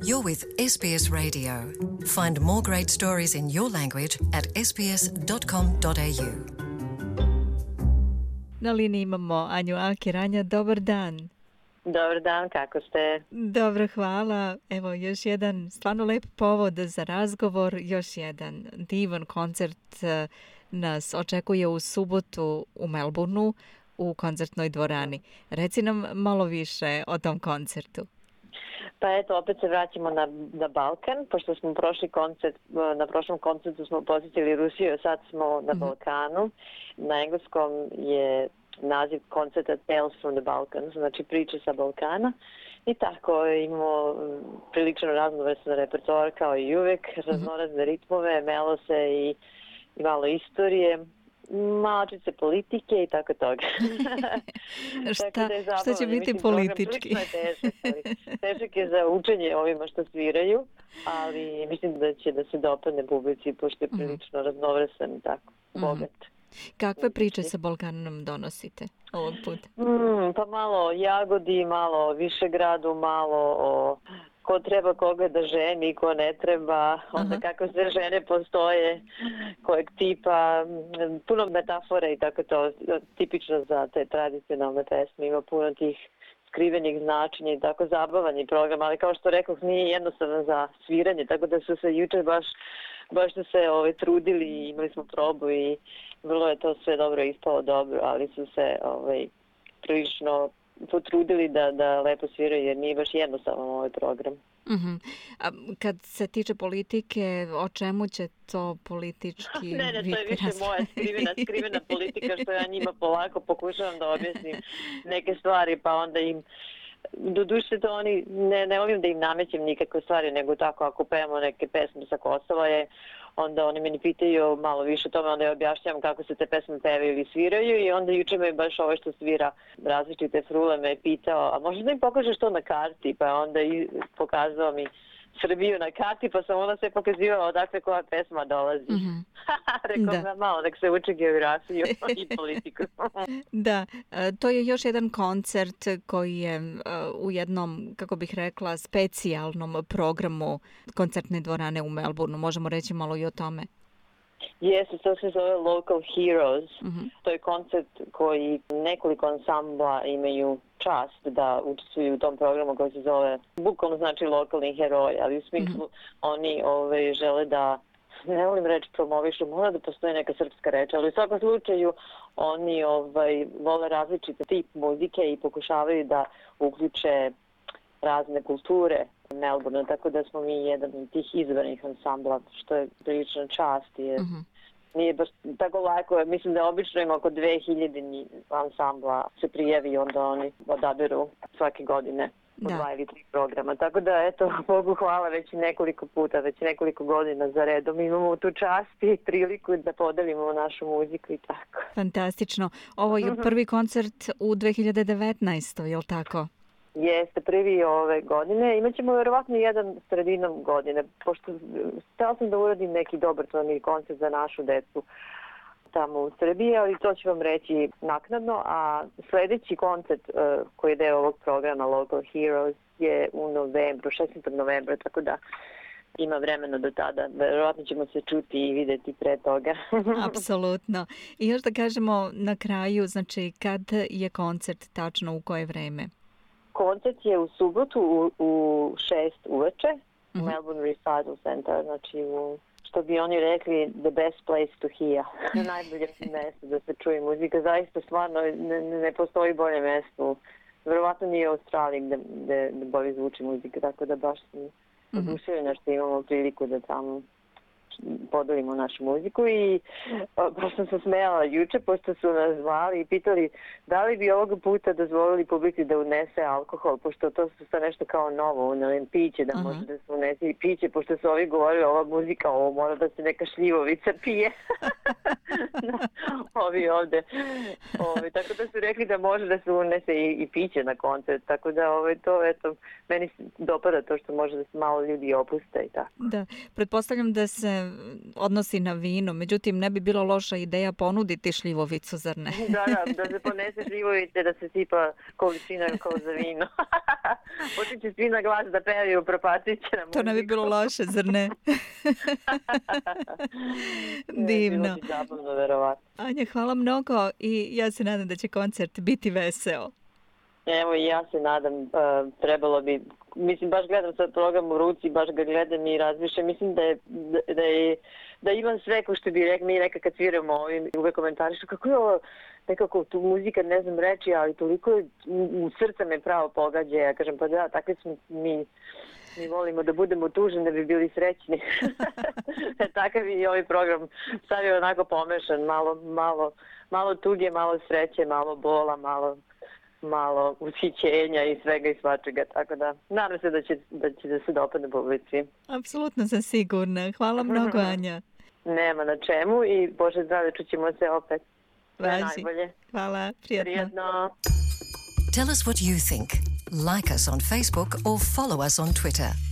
You're with SBS Radio. Find more great stories in your language at sbs.com.au. Na liniji imamo Anju Akir. Anja, dobar dan. Dobar dan, kako ste? Dobro, hvala. Evo, još jedan stvarno lep povod za razgovor, još jedan divan koncert nas očekuje u subotu u Melbourneu u koncertnoj dvorani. Reci nam malo više o tom koncertu. Pa eto, opet se vraćamo na Balkan, pošto smo na prošlom koncertu smo posjetili Rusiju, a sad smo na Balkanu. Na engleskom je naziv koncerta Tales from the Balkans, znači priče sa Balkana. I tako imamo prilično raznovrstan repertoar kao i uvek, raznorazne ritmove, melose i malo istorije. Malčice politike i tako toga. Šta će biti politički? Težak je za učenje ovima što sviraju, ali mislim da će da se dopadne publici, pošto je prilično raznovrstan i tako, bogat. Kakve priče sa Balkanom donosite ovog puta? Pa malo o Jagodi, malo o Višegradu, malo o ko treba koga da ženi, ko ne treba, onda kako sve žene postoje, kojeg tipa, puno metafora i tako to, tipično za te tradicionalne pesme, ima puno tih skrivenih značenja i tako zabavan je program, ali kao što rekoh, nije jednostavno za sviranje, tako da su se jučer baš su se trudili i imali smo probu i vrlo je to sve dobro ispalo dobro, ali su se prilično potrudili da lepo sviraju jer nije baš jednostavno ovaj program. A kad se tiče politike, o čemu će to politički biti? Ne, to je više moja skrivena politika što ja njima polako pokušavam da objasnim neke stvari, pa onda im doduše to oni, ne volim da im namećem nikakve stvari, nego tako ako pevamo neke pesme sa Kosova onda oni meni pitaju malo više o tome, onda ja objašnjam kako se te pesme pevaju ili sviraju i onda juče me baš ovo što svira različite frule me pitao, a možda da im pokažeš to na karti, pa onda i pokazao mi Srbiju na karti, pa sam onda se pokazivala odakle koja pesma dolazi. Rekao da malo, nek se uči geografiju i politiku. Da, to je još jedan koncert koji je u jednom, kako bih rekla, specijalnom programu koncertne dvorane u Melbourneu. Možemo reći malo i o tome. Jeste, to se zove Local Heroes. To je koncert koji nekoliko ansambla imaju čast da učestvuju u tom programu koji se zove, bukvalno znači lokalni heroj, ali u smislu oni žele da, ne volim reći promovišu, mora da postoji neka srpska reč, ali u svakom slučaju oni vole različite tip muzike i pokušavaju da uključe razne kulture Melbourne, tako da smo mi jedan od tih izbranih ansambla, što je prilično čast, jer nije baš tako lako. Mislim da obično ima oko 2000 ansambla se prijavi i onda oni odaberu svake godine po 2 ili 3 programa. Tako da, eto, Bogu hvala već nekoliko puta, već nekoliko godina za redom imamo tu čast i priliku da podelimo našu muziku i tako. Fantastično. Ovo je prvi koncert u 2019. je li tako? Jeste, prvi ove godine. Imaćemo verovatno jedan sredinom godine, pošto htela sam da uradim neki dobrotvorni koncert za našu decu tamo u Srbiji, ali to ću vam reći naknadno, a sljedeći koncert koji je deo ovog programa Local Heroes je u novembru, 16. novembra, tako da ima vremena do tada. Verovatno ćemo se čuti i vidjeti pre toga. Apsolutno. I još da kažemo na kraju, znači kad je koncert tačno, u koje vreme? Koncert je u subotu u 6 uveče u Melbourne Recital Center, znači što bi oni rekli the best place to hear. Najbolje mjesto da se čuje muzika. Zaista stvarno ne postoji bolje mjesto. Verovatno nije u Australiji gde bolje zvuči muzika, tako da baš sam oduševljena što imamo priliku da tamo podelimo našu muziku i baš sam se smejala juče pošto su nas zvali i pitali da li bi ovog puta dozvolili publici da unese alkohol, pošto to su sad nešto kao novo, piće da može da se unese i piće, pošto su ovi govorili ova muzika, ovo mora da se neka šljivovica pije. ovi ovde. Tako da su rekli da može da se unese i piće na koncert, tako da to, eto, meni se dopada to što može da se malo ljudi opuste i tako. Da, pretpostavljam da se odnosi na vino, međutim ne bi bilo loša ideja ponuditi šljivovicu, zar ne? Da se ponese šljivovice, da se sipa količina kao za vino. Počet će svi na glas da pevaju, propacit će na muziku. To ne bi bilo loše, zar ne? Divno. Bilo bi zabavno, verovatno. Anja, hvala mnogo i ja se nadam da će koncert biti veseo. Evo i ja se nadam, trebalo bi, mislim, baš gledam sad program u ruci, baš ga gledam i razmišljam, mislim da imam sve, ko što bi mi nekad kad sviramo ovim, uvek komentarišu kako je ovo, nekako tu muzika, ne znam reći, ali toliko u srca me pravo pogađa, ja kažem, pa da, takve smo mi volimo da budemo tužni da bi bili srećni. Takav i ovaj program sad je onako pomešan, malo tuge, malo sreće, malo bola, malo ushićenja i svega i svačega, tako da nadam se da će se dopadne publici. Apsolutno sam sigurna. Hvala mnogo, Anja. Nema na čemu i Bože zdravlje, čućemo se opet. Najbolje. Hvala, prijatno. Tell us what you think. Like us on Facebook or follow us on Twitter.